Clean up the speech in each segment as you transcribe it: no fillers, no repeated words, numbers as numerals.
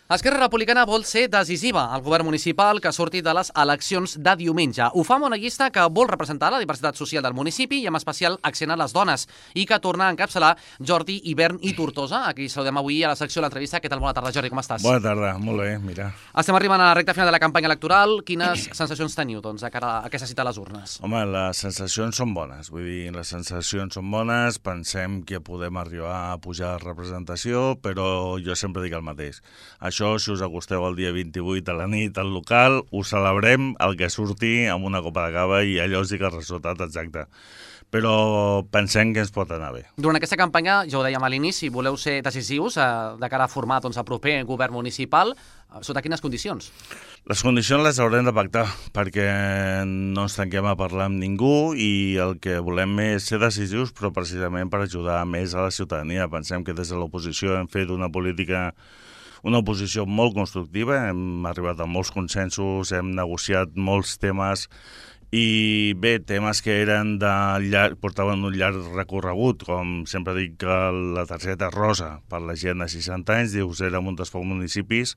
Esquerra Republicana vol ser decisiva al govern municipal que surti de les eleccions de diumenge. Ho fa amb una llista que vol representar la diversitat social del municipi i amb especial accent a les dones i que torna a encapçalar Jordi Hivern i Tortosa. Aquí saludem avui a la secció de l'entrevista. Què tal? Bona tarda, Jordi, com estàs? Bona tarda, molt bé, mira. Estem arribant a la recta final de la campanya electoral. Quines sensacions teniu de cara a aquesta cita a les urnes? Home, les sensacions són bones, vull dir, les sensacions són bones, pensem que podem arribar a pujar de representació, però jo sempre dic el mateix. Això, si us acosteu el dia 28 a la nit al local, ho celebrem el que surti amb una copa de cava i allò sí que el resultat exacte. Però pensem que ens pot anar bé. Durant aquesta campanya, ja ho dèiem a l'inici, voleu ser decisius de cara a formar el proper govern municipal. Sota quines condicions? Les condicions les haurem de pactar, perquè no ens tanquem a parlar amb ningú i el que volem és ser decisius, però precisament per ajudar més a la ciutadania. Pensem que des de l'oposició hem fet una oposició molt constructiva, hem arribat a molts consensos, hem negociat molts temes i bé, temes que eren portaven un llarg recorregut, com sempre dic que la targeta rosa per la gent de 60 anys, dius, érem un dels pocs municipis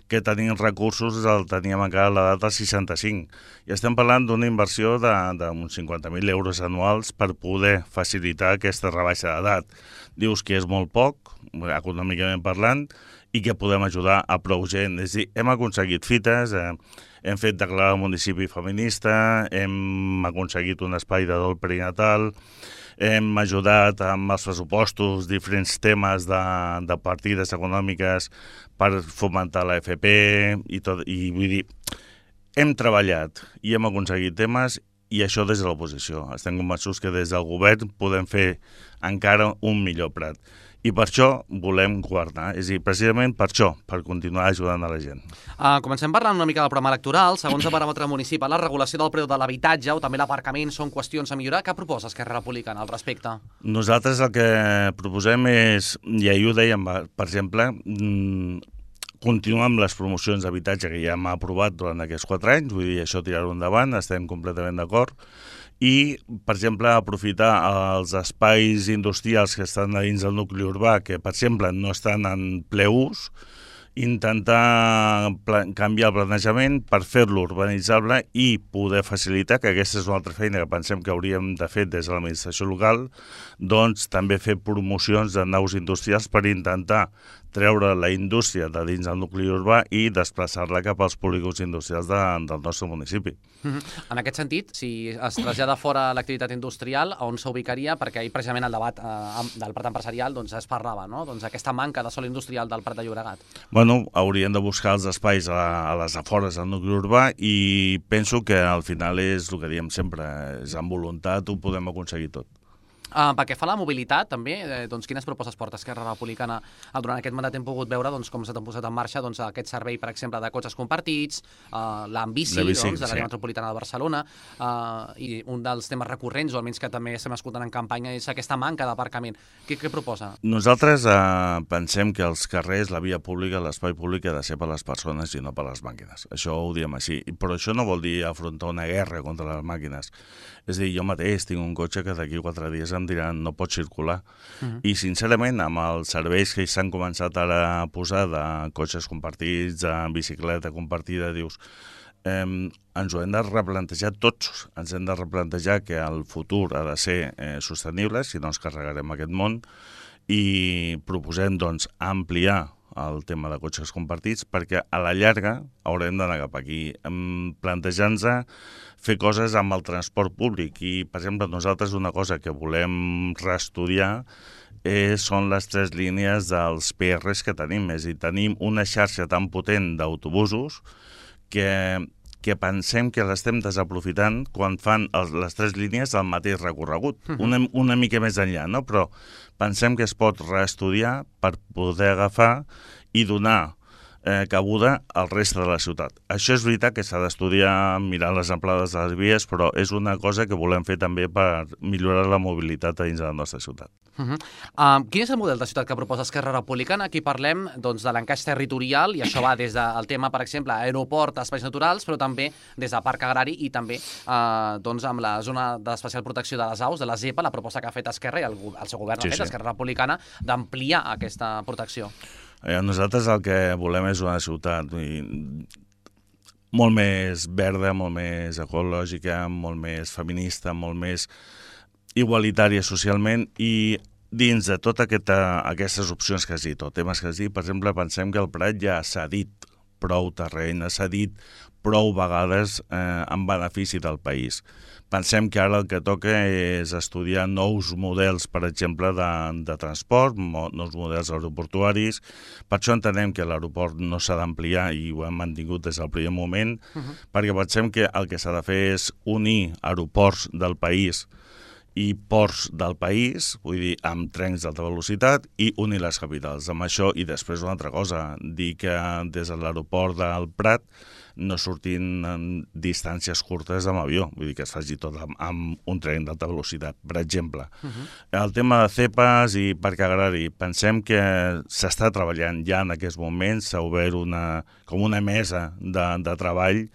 que tenien recursos, el teníem encara a l'edat dels 65. I estem parlant d'una inversió d'uns 50.000 euros anuals per poder facilitar aquesta rebaixa d'edat. Dius que és molt poc, econòmicament parlant, i que podem ajudar a prou gent. És a dir, hem aconseguit fites, hem fet declarar el municipi feminista, hem aconseguit un espai de dol perinatal, hem ajudat amb els pressupostos diferents temes de partides econòmiques per fomentar la FP i tot, i vull dir, hem treballat i hem aconseguit temes i això des de l'oposició. Estem convençuts que des del govern podem fer encara un millor prat. I per això volem governar, és a dir, precisament per això, per continuar ajudant a la gent. Comencem parlant una mica del programa electoral. Segons el paràmetre municipal, la regulació del preu de l'habitatge o també l'aparcament són qüestions a millorar. Què proposa Esquerra Republicana al respecte? Nosaltres el que proposem és, i ahir ho dèiem, per exemple, continuar amb les promocions d'habitatge que ja hem aprovat durant aquests 4 anys, vull dir, això tirar-ho endavant, estem completament d'acord, i, per exemple, aprofitar els espais industrials que estan dins del nucli urbà, que, per exemple, no estan en ple ús, intentar canviar el planejament per fer-lo urbanitzable i poder facilitar, que aquesta és una altra feina que pensem que hauríem de fer des de l'administració local, doncs també fer promocions de naus industrials per intentar treure la indústria de dins del nucli urbà i desplaçar-la cap als polígons industrials del nostre municipi. En aquest sentit, si es trasllada fora l'activitat industrial, on s'ubicaria? Perquè ahir precisament el debat del Prat empresarial es parlava, no? Aquesta manca de sòl industrial del Prat de Llobregat. Bueno, haurien de buscar els espais a les afores del nucli urbà i penso que al final és el que diem sempre, és amb voluntat ho podem aconseguir tot. Pel que fa a la mobilitat, també, quines propostes porta Esquerra Republicana? Durant aquest mandat hem pogut veure com s'ha posat en marxa aquest servei, per exemple, de cotxes compartits, l'Ambici, de l'àrea metropolitana de Barcelona, i un dels temes recurrents, o almenys que també estem escoltant en campanya, és aquesta manca d'aparcament. Què proposa? Nosaltres pensem que els carrers, la via pública, l'espai públic ha de ser per les persones i no per les màquines. Això ho diem així. Però això no vol dir afrontar una guerra contra les màquines. És a dir, jo mateix tinc un cotxe que d'aquí 4 dies em diran no pot circular. I sincerament, amb els serveis que s'han començat ara a posar de cotxes compartits, de bicicleta compartida, dius, ens ho hem de replantejar tots. Ens hem de replantejar que el futur ha de ser sostenible, si no ens carregarem aquest món, i proposem doncs ampliar el tema de cotxes compartits perquè a la llarga haurem d'anar cap aquí, plantejant-nos fer coses amb el transport públic i, per exemple, nosaltres una cosa que volem reestudiar són les 3 línies dels PRs que tenim, és a dir, tenim una xarxa tan potent d'autobusos que pensem que l'estem desaprofitant quan fan les 3 línies al mateix recorregut, una mica més enllà, no? Però pensem que es pot reestudiar per poder agafar i donar cabuda al reste de la ciutat. Això és veritat que s'ha d'estudiar mirant les amplades de les vies, però és una cosa que volem fer també per millorar la mobilitat dins de la nostra ciutat. Quin és el model de ciutat que proposa Esquerra Republicana? Aquí parlem de l'encaix territorial i això va des del tema, per exemple, aeroport, espais naturals, però també des del parc agrari i també amb la zona d'especial protecció de les aus, de la ZEPA, la proposta que ha fet Esquerra i el seu govern ha fet, Esquerra Republicana, d'ampliar aquesta protecció. Nosaltres el que volem és una ciutat molt més verda, molt més ecològica, molt més feminista, molt més igualitària socialment, i dins de totes aquestes opcions que has dit, o temes que has dit, per exemple, pensem que el Prat ja s'ha dit prou terreny, s'ha dit prou vegades en benefici del país. Pensem que ara el que toca és estudiar nous models, per exemple, de transport, nous models aeroportuaris. Per això entenem que l'aeroport no s'ha d'ampliar, i ho hem mantingut des del primer moment, perquè pensem que el que s'ha de fer és unir aeroports del país i ports del país, vull dir, amb trens d'alta velocitat, i unir les capitals. Amb això, i després una altra cosa, dir que des de l'aeroport del Prat no surtin en distàncies curtes amb avió, vull dir que es faci tot amb un tren d'alta velocitat, per exemple. El tema de CEPAS i parc agrari, pensem que s'està treballant ja en aquests moments, s'ha obert com una mesa de treball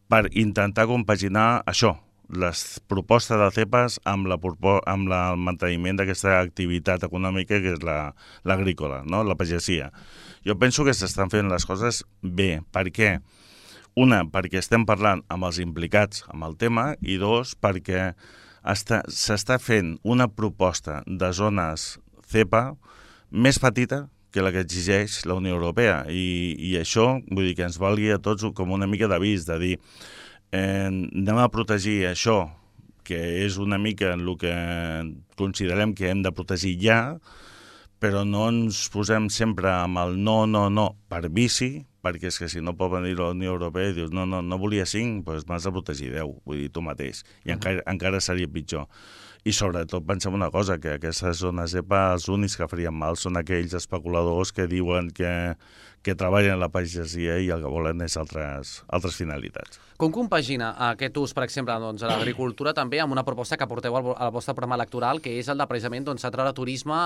per intentar compaginar això, les propostes de CEPAS amb el manteniment d'aquesta activitat econòmica que és l'agrícola, no? La pagesia. Jo penso que s'estan fent les coses bé. Per què? Una, perquè estem parlant amb els implicats amb el tema, i dos, perquè s'està fent una proposta de zones CEPA més petita que la que exigeix la Unió Europea. I això, vull dir, que ens valgui a tots com una mica d'avís, de dir anem a protegir això, que és una mica el que considerem que hem de protegir ja, però no ens posem sempre amb el no per vici, perquè és que si no pot venir la Unió Europea i dius no volia 5, doncs m'has de protegir 10, vull dir, tu mateix, i encara seria pitjor. I sobretot pensem una cosa, que aquestes zones EPA els únics que farien mal són aquells especuladors que diuen que treballen a la pagesia i el que volen és altres finalitats. Com compagina aquest ús, per exemple, a l'agricultura també amb una proposta que porteu al vostre programa electoral, que és el de precisament atreure turisme,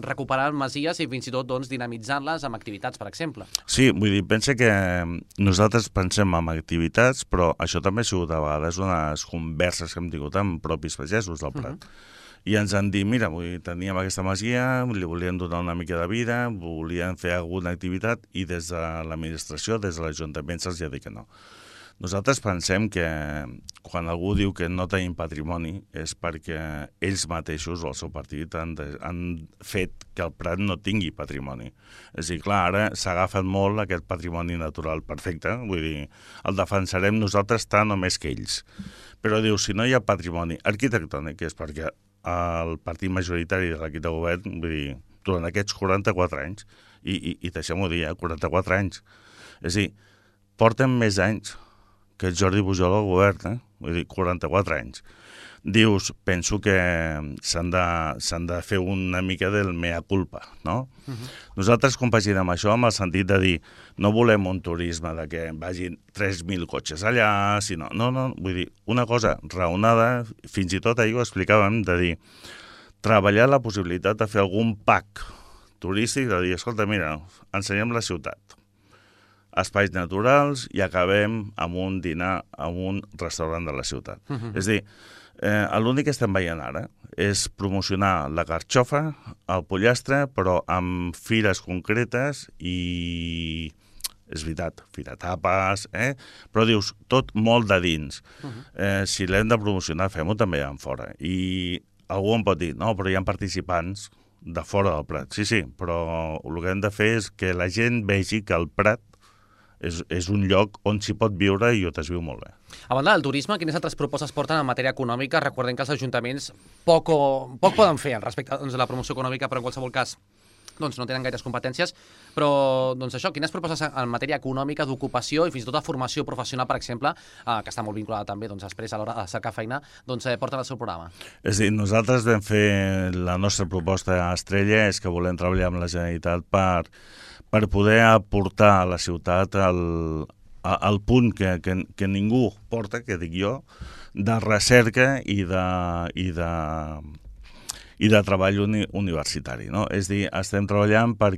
recuperar masies i fins i tot dinamitzant-les amb activitats, per exemple? Sí, vull dir, pensa que nosaltres pensem en activitats, però això també ha sigut a vegades unes converses que hem tingut amb propis pagesos del Prat. I ens han dit, mira, teníem aquesta masia, li volien donar una mica de vida, volien fer alguna activitat, i des de l'administració, des de l'Ajuntament, se'ls ha dit que no. Nosaltres pensem que quan algú diu que no tenim patrimoni és perquè ells mateixos o el seu partit han fet que el Prat no tingui patrimoni. És a dir, clar, ara s'ha agafat molt aquest patrimoni natural, perfecte, vull dir, el defensarem nosaltres tant o més que ells. Però diu, si no hi ha patrimoni arquitectònic, és perquè el partit majoritari de l'equip de govern, vull dir, durant aquests 44 anys, i deixem-ho dir, 44 anys, és a dir, porten més anys que Jordi Pujol al govern, vull dir, 44 anys. Dius, penso que s'han de fer una mica del mea culpa, no? Nosaltres compaginem això amb el sentit de dir, no volem un turisme de que vagin 3.000 cotxes allà, sinó, no, vull dir, una cosa raonada, fins i tot ahir ho explicàvem, de dir, treballar la possibilitat de fer algun pack turístic, de dir, escolta, mira, ensenyem la ciutat, espais naturals, i acabem amb un dinar a un restaurant de la ciutat. És a dir, l'únic que estem veient ara és promocionar la carxofa, el pollastre, però amb fires concretes i, és veritat, fira tapes, però dius, tot molt de dins. Si l'hem de promocionar, fem-ho també en fora. I algú em pot dir, no, però hi ha participants de fora del Prat. Sí, però el que hem de fer és que la gent vegi que el Prat és un lloc on s'hi pot viure i on es viu molt bé. A banda del turisme, quines altres propostes porten en matèria econòmica? Recordem que els ajuntaments poc poden fer respecte a la promoció econòmica, però en qualsevol cas no tenen gaires competències, però això, quines propostes en matèria econòmica, d'ocupació i fins i tot de formació professional, per exemple, que està molt vinculada també després a l'hora de cercar feina, porten el seu programa? És a dir, nosaltres vam fer la nostra proposta a Estrella, és que volem treballar amb la Generalitat per poder aportar a la ciutat el punt que ningú porta, que dic jo, de recerca i de treball universitari, no? És a dir, estem treballant per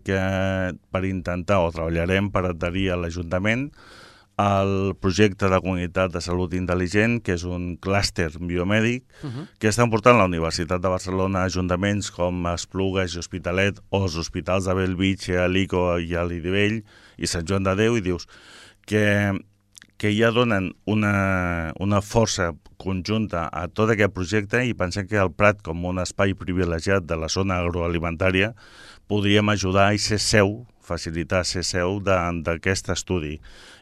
intentar, o treballarem per adherir a l'Ajuntament el projecte de comunitat de salut intel·ligent, que és un clúster biomèdic, que estan portant la Universitat de Barcelona a ajuntaments com Esplugues i Hospitalet, o els hospitals de Bellvitge, Alico i a l'Idivell i Sant Joan de Déu, i dius que ja donen una força conjunta a tot aquest projecte, i pensem que el Prat, com un espai privilegiat de la zona agroalimentària, podríem ajudar i ser seu, facilitar ser seu d'aquest estudi.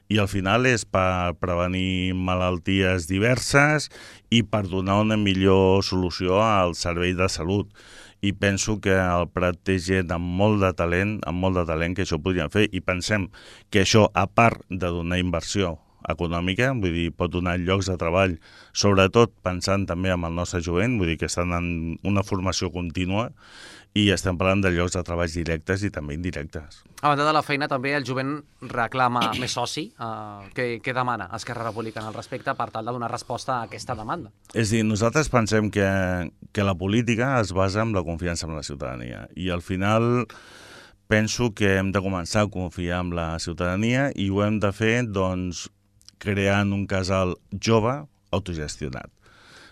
I al final és per prevenir malalties diverses i per donar una millor solució al servei de salut. I penso que el Prat té gent amb molt de talent que això podrien fer, i pensem que això, a part de donar inversió econòmica, vull dir, pot donar llocs de treball, sobretot pensant també en el nostre jovent, vull dir que estan en una formació contínua, i estem parlant de llocs de treball directes i també indirectes. A banda de la feina, també el jovent reclama més soci. Què demana Esquerra Republicana al respecte per tal de donar resposta a aquesta demanda? És a dir, nosaltres pensem que la política es basa en la confiança en la ciutadania, i al final penso que hem de començar a confiar en la ciutadania, i ho hem de fer, doncs, creant un casal jove autogestionat.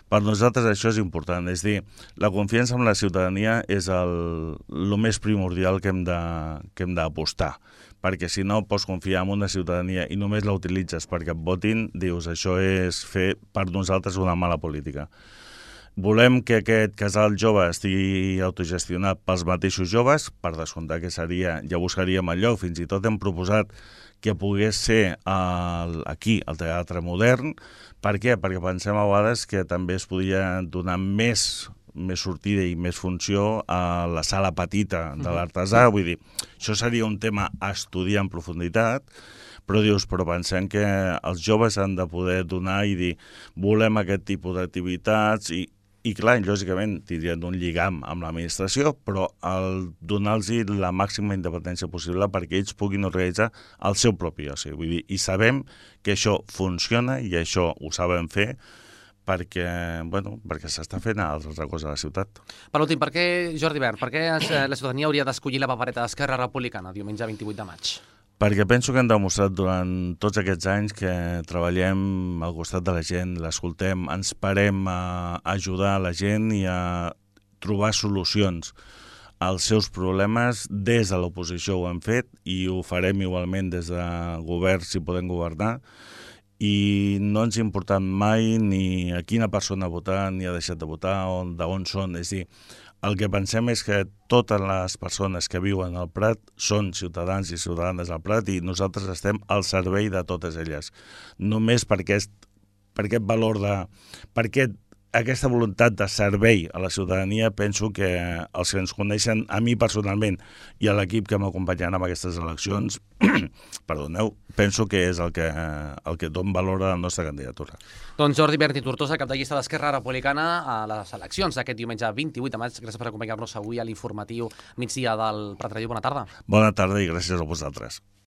Per nosaltres això és important, és dir, la confiança en la ciutadania és el més primordial que hem d'apostar, perquè si no pots confiar en una ciutadania i només la utilitzes perquè et votin, dius, això és fer per nosaltres una mala política. Volem que aquest casal jove estigui autogestionat pels mateixos joves, per descomptar que seria, ja buscaríem el lloc, fins i tot hem proposat que pogués ser aquí, al Teatre Modern. Per què? Perquè pensem a vegades que també es podria donar més sortida i més funció a la sala petita de l'artesà. Vull dir, això seria un tema a estudiar en profunditat, però pensem que els joves han de poder donar i dir, volem aquest tipus d'activitats, i clar, lògicament tindrien un lligam amb l'administració, però el donar-los la màxima independència possible perquè ells puguin organitzar el seu propi oci. Vull dir, i sabem que això funciona, i això ho sabem fer, perquè s'està fent a altres coses a la ciutat. Per últim, Jordi Bert, per què la ciutadania hauria d'escollir la papereta d'Esquerra Republicana diumenge 28 de maig? Perquè penso que hem demostrat durant tots aquests anys que treballem al costat de la gent, l'escoltem, ens parem a ajudar la gent i a trobar solucions als seus problemes. Des de l'oposició ho hem fet i ho farem igualment des de govern si podem governar, i no ens ha importat mai ni a quina persona ha votat ni ha deixat de votar o d'on són. És a dir, el que pensem és que totes les persones que viuen al Prat són ciutadans i ciutadanes al Prat, i nosaltres estem al servei de totes elles. Només per aquest valor aquesta voluntat de servei a la ciutadania, penso que els que ens coneixen, a mi personalment i a l'equip que m'acompanyaran en aquestes eleccions, penso que és el que dona valor a la nostra candidatura. Doncs Jordi Bert i Tortosa, cap de llista d'Esquerra Republicana a les eleccions d'aquest diumenge 28 de maig. Gràcies per acompanyar-nos avui a l'informatiu migdia del Prat Ràdio. Bona tarda. Bona tarda i gràcies a vosaltres.